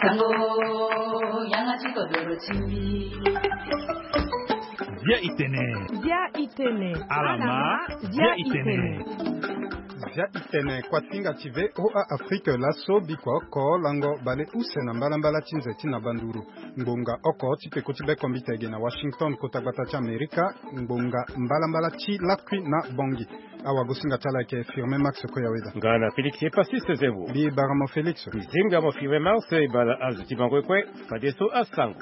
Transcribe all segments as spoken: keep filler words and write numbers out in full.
Sango, yanga ti kodoro ti mbi. Bia itene. Bia itene. Alama. Bia itene. Bia itene, kuasinga ti VOA Afrique laso, bikua oko lango baleuse na mbalambala ti nze ti na banduru. Ngbonga oko ti peko ti bekombita ege na Washington, kota gbata ti Amerika. Ngbonga mbalambala ti lakui na Bangui. Awagosinga ti ala ayeke Firmin Max Koyaweda. Nga na Félix Epasis Zembo. Mbi bara mo Félix. Mbi zinga mo Firmin Max, e bala azo ti bango kue. Fadeso asango.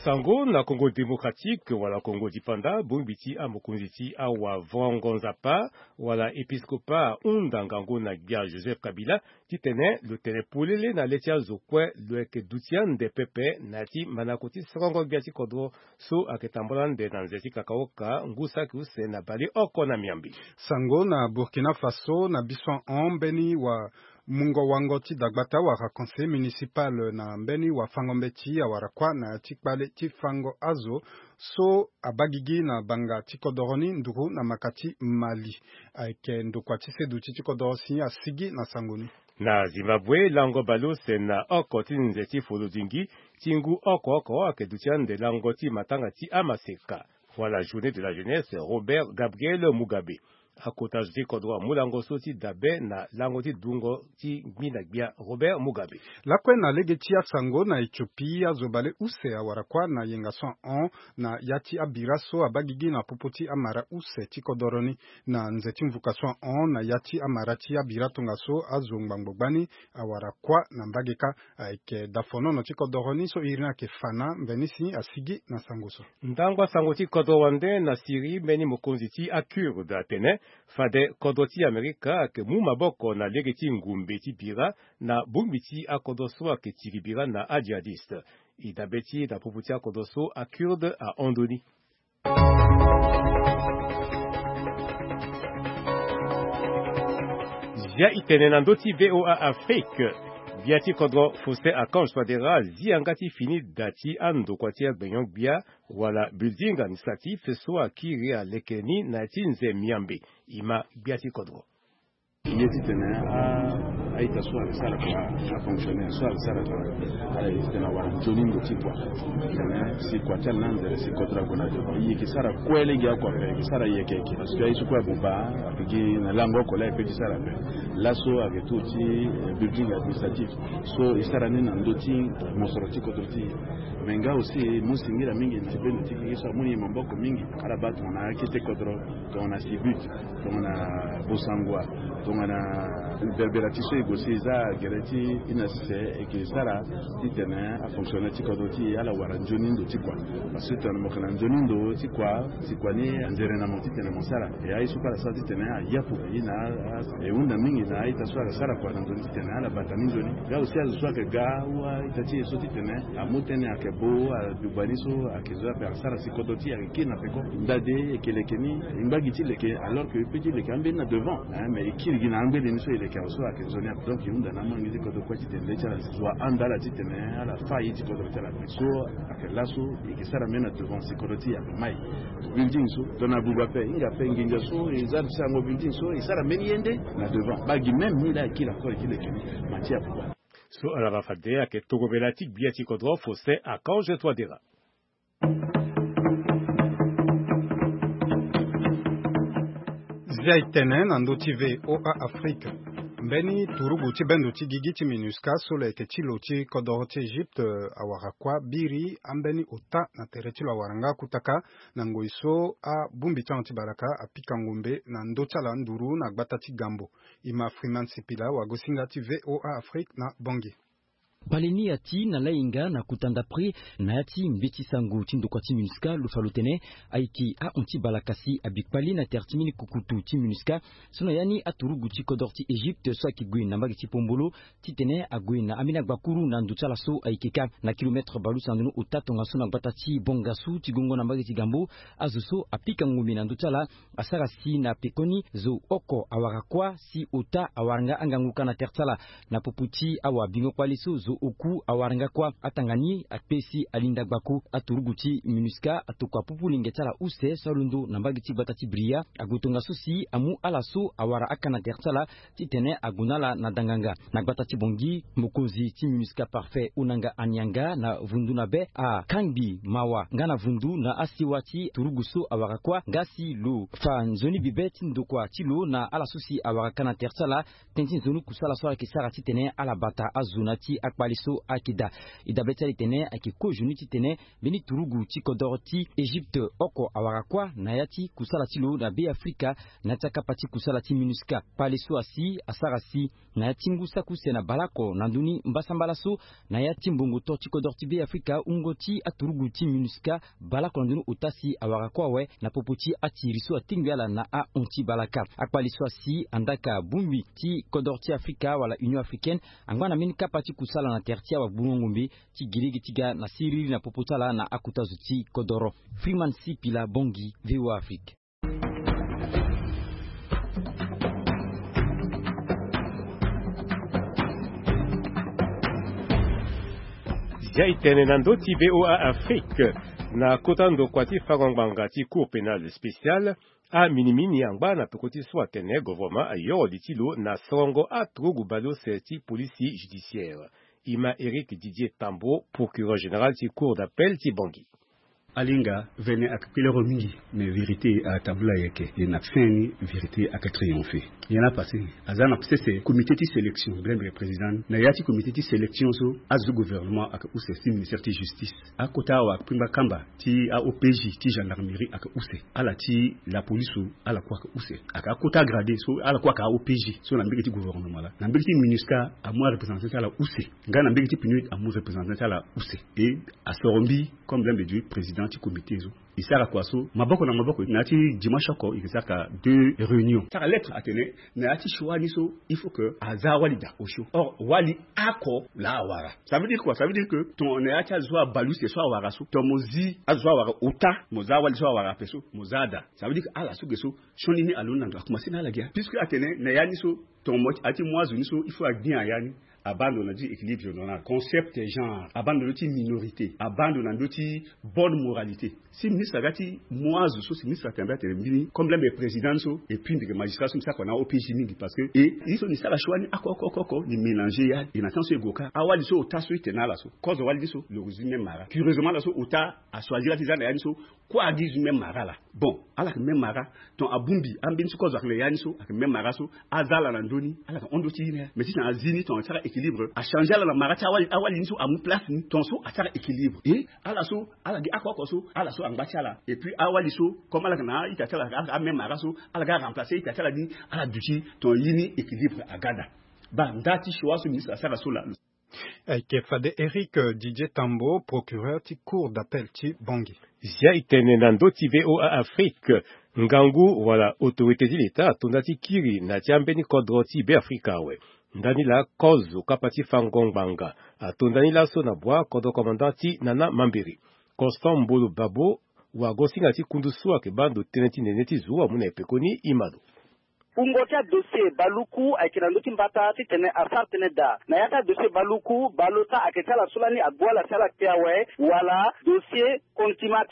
Sango na Congo Démocratique wala Congo Dipanda, bongbi ti amokonzi ti awavango nzapa wala episkopa ahunda ngangu na gbia Joseph Kabila titene lo tene polele na le ti azo kue lo yeke duti ande pepe na ya ti manako ti sorongo gbia ti kodro so ayeke tambula ande na nze ti kakaoka ngu saki use na baleoko na miambe. Sango na Burkina Faso, na biso ahon mbeni wa mungo wango ti dagbata wala conseil municipal na mbeni wafango mbeti awara kuâ na ya ti kpale ti fango azo so abaa gigi na banga ti kodoro ni nduru na maka ti Mali. Ayeke ndokua ti seduti ti kodoro si asigi na sango ni. Na Zimbabwe, lango baleuse na oko ti nze ti folodingi ti ngu oko oko ayeke duti ande lango ti matanga ti amaseka wala journée de la jeunesse Robert Gabriel Mugabe. Akota zo ti kodro amu lango so ti dabe na lango ti dungo ti ngbinda gbia Robert Mugabe. Lakue na lege ti asango, na Éthiopie azo baleuse awara kuâ na yenga so ahon na ya ti abira so abaa gigi na popo ti amara use ti kodoro ni. Na nze ti mvuka so ahon na ya ti amara ti abira tongaso azo ngbangbo gbani awara kuâ na mbage kâ. Ayeke dafonono ti kodoro ni so iri ni ayeke fa na mveni si asigi na sango so. Ndangba sango ti kodro wande na Syrie, mbeni mokonzi ti aKurde atene fade kodro ti Amerika ayeke mu maboko na lege ti ngumbe ti bira na bongbi ti akodro so ayeke tiri bira na ajihadiste. E dabe ti e na popo ti akodro so aKurde ahon ndoni. Zia itene na ndö ti VOA Afrique. Gbia ti kodro Faustin Archange Touadéra azi yanga ti fini da ti andokua ti agbenyo-gbia wala building administratif so akiri aleke ni na ya ti nze miambe. E ma gbia ti kodro. Ye titene a, a-ita so ayeke sara kua, afonctionnaire so ayeke sara kua, ala ye titene awara nzoni ndo ti kua. Titene si kua ti ala ni anzere si kodro ague na devant. E yeke sara kue lege oko ape, e yeke sara yeke yeke. Parce que aye so kue abuba, ayeke gi na lango oko laa e peut ti sara ape. Laso ayeke tour ti, eh, building administratif so e sara ni na ndö ti mosoro ti kodro ti e. Me nga aussi mu singila mingi na ti bendo ti gigi so amu ni maboko mingi. Ala baa tongana akete kodro, tongana Sibut, tongana Bossangoa, tongana Berbera ti so e gue si e za gere ti e na sese e yeke sara titene afonctionnaire ti kodro ti e ala wara nzoni ndo ti kua. Parce que tongana mo yeke na nzoni ndo ti kua, si kua ni anzere na mo titene mo sara. E aye so kue ala sara titene ayapu e na a, e hunda mingi na a-ita so ala sara kua na ndo ni titene ala bata ni nzoni. Nga aussi azo so ayeke ga ou a-ita ti e so titene amu tënë ayeke bo, aduba ni so ayeke zo ape asara si kodro ti e ayeke kiri na peko. Ndade e yeke leke ni, e ngba gi ti leke, alors que e peut ti leke ambeni na devant, hein, mais e kiri gi na ambeni ni so e leke awe so ayeke nzoni ape. Donc e hunda na amangi ti kodro kue titene le ti ala zo ahanda ala titene ala fâ ye ti kodro ti ala ape. So ayeke laso e yeke sara mbeni na devant si kodro ti e ayeke mai. Building so tongana abuba ape, hinga ape nginza so e za ti sango building so e sara mbeni ye nde na devant. Baa gi même ni laa e kiri encore e ti leke ni, ma ti abuba. So ala baa fade ayeke tongobela ti gbia ti kodro Faustin Archange Touadéra. Zia e tene na ndö ti VOA Afrique. Mbeni turugu ti bendo ti gigi ti MINUSCA so lo yeke ti lo ti kodoro ti Egypte, eh, awara kuâ biri ambeni ota na tere ti lo awara nga kutaka na ngoi so abongbi ti ahon ti baraka apika ngombe na ndö ti ala nduru na gbata ti Gambo. E ma Freeman Sipila, wagosinga ti VOA Afrique na Bangui. Kpale ni ati na lainga na kota ndapre na ya ti mbeti sango ti ndokua ti MINUSCA lo fa lo tene ayeke ahon ti balaka si abi kpale na tere ti mbeni kukutu ti MINUSCA. So na ya ni aturugu ti kodro ti Egypte so ayeke gue na mbage ti Pombolo titene ague na ambeni agbakuru na ndo ti ala so ayeke ka na kilometre baleuse na ndoni ota tongaso na gbata ti Bangassou ti gongo na mbage ti Gambo. Azo so apika ngombe na ndo ti ala asara si na pekoni zo oko awara kuâ si ota awara nga angangu ka na tere ti ala. Na popo ti awabingo kpale so zo Oku awara nga kuâ atanga ni akpe si alinda gbako aturugu ti MINUSCA atokua pupu lenge ti ala use so alondo na mbage ti gbata ti Bria. Ague tongaso si amu ala so awara aka na tere ti ala titene ague na ala na danganga. Na gbata ti Bangui, mokonzi ti MINUSCA Parfait Onanga Anianga na vundu na be akangbi mawa nga na vundu na asiwa ti turugu so awara kuâ nga si lo fa nzoni bibe ti ndokua ti lo na ala so si awara ka na tere ti ala. Tënë ti nzoni kusala so ala yeke sara titene ala bata azo na ti akpale so ayeke daa. E dabe ti ala e tene ayeke kozoni titene mbeni turugu ti kodoro ti Egypte oko awara kuâ na ya ti kusala ti lo na Be Afrika na ya ti akapa ti kusala ti MINUSCA. Kpale so asi asara si na ya ti ngu saki use na baleoko na ndö ni mbasambala so na ya ti mbongo to ti kodoro ti Be Afrika, wungo ti aturugu ti MINUSCA baleoko na ndö ni ota si awara kue awe na popo ti atiri so atingbi ala na ahon ti balaka. Akpale so asi andaa ka bongbi ti kodoro ti Afrika wala Union Africaine angba na mbeni kapa ti kusala na tere ti awagbungo ngombe ti gi lege ti ga na siriri na popo ti ala na akota zo ti kodoro. Freeman Sipila Bangui, V O A Afrique. Zia e tene na ndö ti V O A Afrique. Na kota ndokua ti fango ngbanga ti Cour pénale spéciale, aminimini angba na peko ti so atene gouvernement ayoro li ti lo na sorongo aturugu baleuse ti polisi judiciaire. E ma Éric Didier Tambo, procureur général ti Cour d'appel ti Bangui. Alinga vene ayeke kpelero mingi, mais vérité atambula yeke, e na fin ni vérité ayeke triomphe. Nyen la passé? Aza na sese comité ti sélection, brembe président. Na ya ti comité ti sélection so, azo gouvernement ayeke use ti ministère ti justice. Akota awa kpingba kamba ti a-O P J ti gendarmerie ayeke use. Ala ti la police so, ala kue ayeke use. Ayeke akota gradé so, ala kue ayeke a-O P J so na mbege ti gouvernement la. Na mbege ti MINUSCA amu areprésentant ti ala use. Nga na mbege ti PNUD amu représentant ti ala use. E asoro mbi comme l'un des deux président ti comité so. E sara kua so maboko na maboko na ya ti dimanche oko e ke sara ka deux réunion. Sara lettre atene na ya ti choix ni so il faut que aza awali daa osio. Or wali oko laa awara. Ça veut dire quoi? Ça veut dire que ton na ya ti azo abale use so awara so, ton mo zi azo so awara ota, mo za awali so awara ape so, mo za adaa. Ça veut dire que ala so ge so sioni ni alondo na ndo, akomanse na ala ge. Puisque atene na ya ni so ton mo ati mu azo ni so il faut agbi na ya ni. Abaa ndo na ya ti équilibre général, concept genre, abaa ndo na ndö ti minorité, abaa ndo na ndö ti bonne moralité. Si ministre aga ti mu azo so, si ministre atene mbi atene mbeni comme l'un des présidents so, et puis mbi yeke magistrat so mbi sara kua na O P J mingi, parce que e ye so mbi sara choix ni oko oko oko oko mbi mélanger ya. E na temps so e gue ka awali so ota so e tene na ala so, kozo wali ni so lo zi même mara. Curieusement ala so ota achoisir ti za na ya ni so, kue agi zo même mara laa. Bon, ala yeke même mara. Ton abongbi ambeni so kozo ayeke na ya ni so ayeke même mara so, aza ala na ndö ni ala yeke hon ndö ti ye ni. Mais si tena azi ni ton asara équilibre, achanger ala na mara ti awali, awali ni so amu place ni, ton so asara équilibre. E ala so ala gi oko oko so, ala so angba ti ala. Et puis awali so comme ala yeke na a-ita ti ala, ala yeke amême mara so, ala ga aremplacer a-ita ti ala ni, ala duti ton ye ni équilibre aga daa. Baa nda ti choix so ministre asara so laa. Ayeke fade Éric Didier Tambo, procureur ti Cour d'appel ti Bangui. Zia e tene na ndö ti V O A Afrique. Ngangu wala autorité ti leta ato nda ti kiri na ya ti ambeni kodro ti Be Afrika awe. Ndani laa kozo kapa ti fango ngbanga ato ndani laso na bua kodro commandant ti Nana Mambiri. Constant Mbolo Babo, wagosinga ti kundu so ayeke baa ndo tënë ti nene ti zo amu na e pekoni, e ma lo. Wungo ti adossier baluku ayeke na ndö ti mbata titene asara tënë daa. Na ya ti adossier baluku, baleota ayeke ti ala so lani ague ala si ala kpe awe, wala dossier contumax.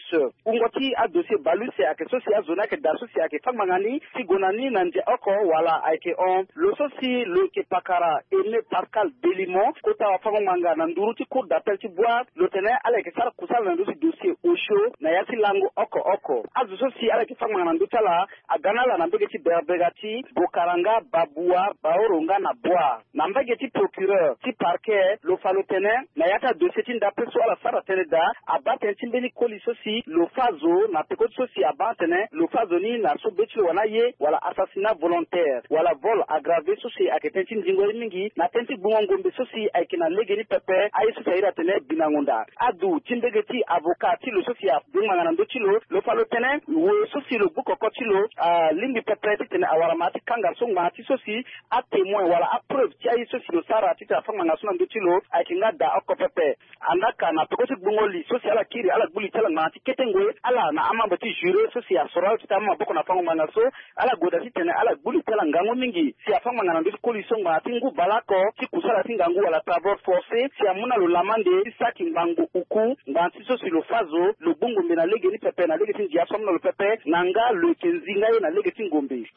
Wungo ti adossier baleuse ayeke so si azo ni ayeke daa so si ayeke fâ ngbanga ni ti gue na ni na ndia oko wala ayeke hon. Lo so si lo yeke pakara Aimé Pascal Delimon, kota wafango-ngbanga na nduru ti Cour d'appel ti Bouar, lo tene ala yeke sara kusala na ndö ti dossier osio na ya ti lango oko oko. Azo so si ala yeke fâ ngbanga na ndö ti ala aga na ala na mbege ti Berbega ti Bokaranga, Babua, Baoro nga na Bouar. Na mbage ti procureur ti parquet, lo fa lo tene na ya ti adossier ti ndape so ala sara tënë daa, abaa tënë ti mbeni koli so si lo fâ zo na peko ti so si abaa atene lo fâ zo ni na so be ti lo wani aye, wala assassinat volontaire, wala vol aggravé, so si ayeke tënë ti ndingo ye mingi na tënë ti gbungo ngombe so si ayeke na lege ni pepe, aye so si a iri atene binango nda. Adu ti mbege ti avocat ti lo so si abengbanga na ndö ti lo, lo fa lo tene we so si lo gbu koko ti lo alingbi pepe titene awara Ngbanga ti kanga so ngbanga ti so si atémoin wala apreuve ti aye so si lo sara titene afa ngbanga so na ndö ti lo ayeke nga daa oko pepe. Andaa ka na peko ti gbungo li so si ala kiri ala gbu li ti ala ngbanga ti kete ngoi ala na amembre ti juré so si asoro ala titene amama maboko na fango ngbanga so, ala gue daa titene ala gbu li ti ala ngangu mingi si afa ngbanga na ndö ti koli so ngbanga ti ngu baleoko ti kusala ti ngangu wala travaux forcés si amu na lo lamande ti saki ngbanga oku. Ngbanga ti so si lo fa zo lo gbu ngombe na lege ni pepe na lege ti ndia so amu na lo pepe na nga lo yeke nzi nga ye na lege ti ngombe.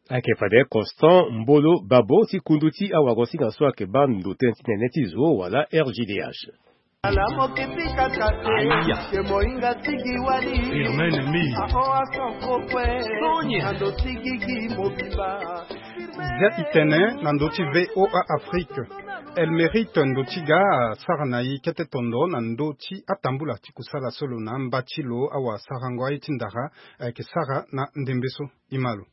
Ayeke fade Constant Mbolo Babo ti kundu ti awagosinga so ayeke baa ndo tënë ti nene ti zo wala R G D H. Ala mo kiti kaka te. Aya. Ke moinga tigi wali. Firmin Lemir. Aoa sans faux kue. Sonia. Ando tigi gi mobimba. Zia ti tene na ndö ti V O A Afrique. Elle mérite ndo ti ga asara na e kete tondo na ndö ti atambula ti kusala so lo na amba ti lo awasarango aye ti ndara ayeke sara na ndembe so. E ma lo.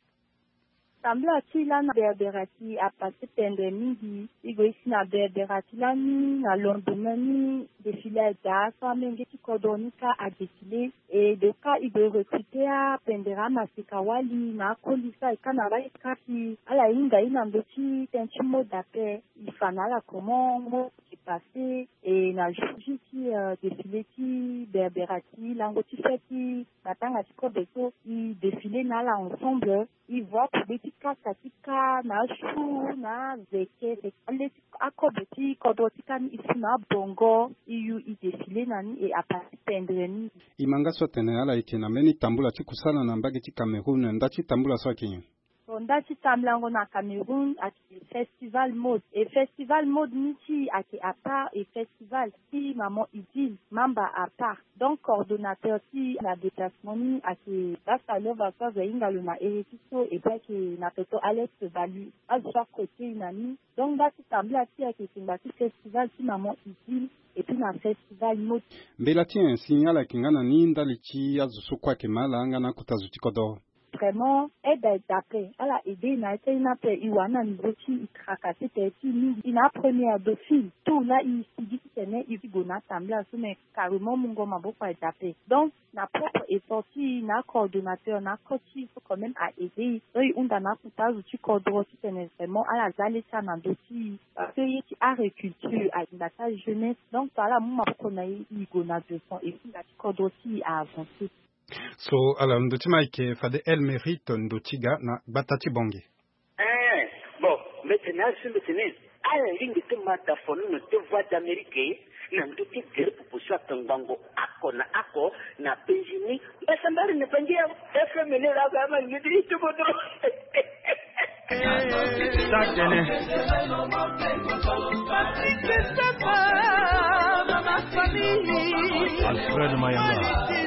Tambula ti lani na Berbera ti apassé pendre mingi. E gue e si na Berbera ti lani na lendemain ni défilé adaa so amenge ti kodro ni kâ adéfilé. E donc kâ e gue e recruter apendere amaseka wali na akoli so aye kâ na mbage ti kâ si ala hinga e na ndö ti tënë ti mode ape. E fa na ala comment mode ayeke passé. E na jour J ti défilé ti Berbera ti lango ti fête ti matanga ti kobe so e défilé na ala ensemble. E voit akogbe ti kasa ti kâ na asu na azeke, le ti akobe ti kodro ti kâ ni e su na abongo. E yu e défilé na ni e apassé pendre ni. E ma nga so atene ala yeke na mbeni tambula ti kusala na mbage ti Cameroun, nda ti tambula so ayeke nyen? Bon, nda ti tambulango na Cameroun ayeke festival mode. E festival mode ni ti e ayeke à part e festival ti maman Idil Mamba à part. Donc coordonnateur ti e na déplacement ni ayeke Basta Lova so azo ahinga lo na ere ti so, et puis ayeke na toto Alex Balu. Azo so akrotie e na ni. Donc nda ti tambula ti e ayeke tongba ti festival ti maman Idil et puis na festival mode. Mbela ti nyen si ala yeke nga na ni ndali ti azo so kue ayeke ma ala nga na akota zo ti kodro? Vraiment aide aye daa ape. Ala aidé e na ya ti aye ni ape. E wara ni na niveau ti e tracassé tene ti e mingi. E na apremière dauphine. Tour laa e sigi titene e gue na atambula so, mais carrément mungo maboko aye daa ape. Donc na propre effort ti e na acoordonnateur na akot ti e so quand même a aidé e. Donc e hunda na akota azo ti kodro titene vraiment ala za le ti ala na ndö ti e. Parce que ye ti agriculture alinda ti ajeunesse. Donc so ala mu maboko na e, e gue na devant et puis na ti kodro ti e a avancé. So ala ndö ti ma ayeke fade El Mérite ndo ti ga na gbata ti Bangui. Eh, bon, mbi tene azo so mbi tene ala lingbi ti ma tafono na ti Voix d'Amérique na ndö ti gere popo so atongbango oko na oko na penzi ni. Mbasambari na Bangui awe. F M ni la ba ma lingbi ti ti kodro. Alfred Mayanga.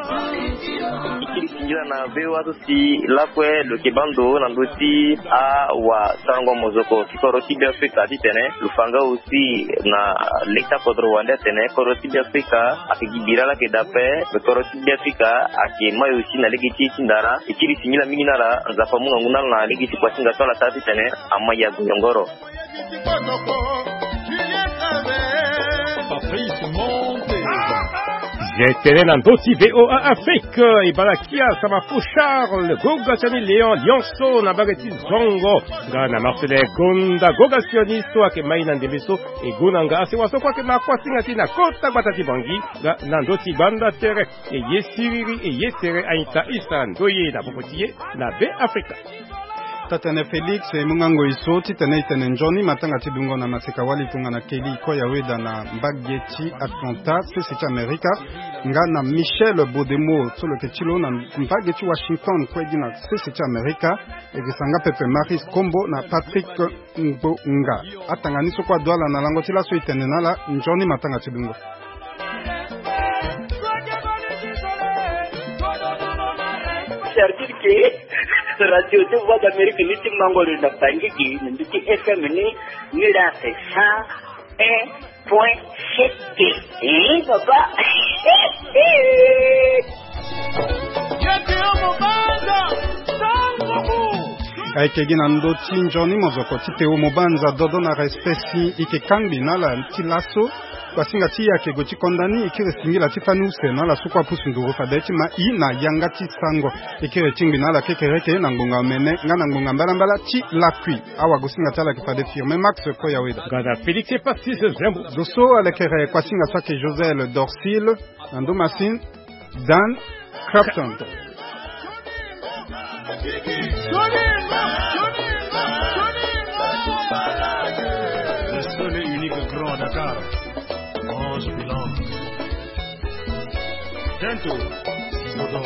Ti kiri singila na V O A so si lakue lo yeke baa ndo na ndö ti awasarango mozoko ti kodro ti Beafrika titene lo fa nga aussi na lege ti akodro wande atene kodro ti Beafrika ayeke gi bira laa ayeke daa ape. Kodro ti Beafrika ayeke mai aussi na lege ti e ti ndara. E kiri singila mingi na ala. Nzapa amu ngangu na ala na lege ti kua ti nga so ala sara titene ama yago yongoro. Fabrice Monte. Ye tene na ndö ti V O A Afrique, e bala kia Samafo Charles, goga ti ani Léon Lionceau na mbage ti Zongo, nga na Marcelin Gonda, goga sioni so ayeke mai na ndembe so, e gue na nga asewa so kue ayeke ma kuasinga ti e na kota gbata ti Bangui, nga na ndö ti gbanda tere. E ye siriri, e ye tere, a-ita, e sara ndoye na popo ti e na Beafrika. Taa-tene Félix, e mu nga ngoi so titene e tene nzoni matanga ti dungo na maseka wali tongana Kelly Koyaweda na mbage ti Atlanta, sese ti Amerika, nga na Michel Bodemo so lo yeke ti lo na mbage ti Washington kue gi na sese ti Amerika. E yeke sara nga pepe Maris Kombo na Patrick Ngbonga. Atanga ni so kue adu ala na lango ti laso e tene na ala nzoni matanga ti dungo. C'est-à-dire que radio ti Voix d'Amérique ni ti mango lo na Bangui gi na ndö ti F M ni, ni la c'est cent un point sept. Eh, papa. Ayeke gi na ndö ti nzoni mozoko ti Théo Mobanza, dodo na respect si e yeke kangbi na ala ti laso. Kuasinga ti yake go ti konda ni e kiri singila ti fani use na ala so kue apusu nduru fade ti ma i na yanga ti sango. E kiri tingbi na ala kekereke na ngbonga omene nga na ngbonga mbalambala ti lakui. Awagosinga ti ala yeke fade Firmin Max Koyaweda. Gada Félix Epatis Zembo. Zo so alekere kuasinga so ayeke Josel Dorsil. Na ndo masine, Dan Crafton. Le seul et unique grand à Dakar, mange bilan. Tento, Sisodor.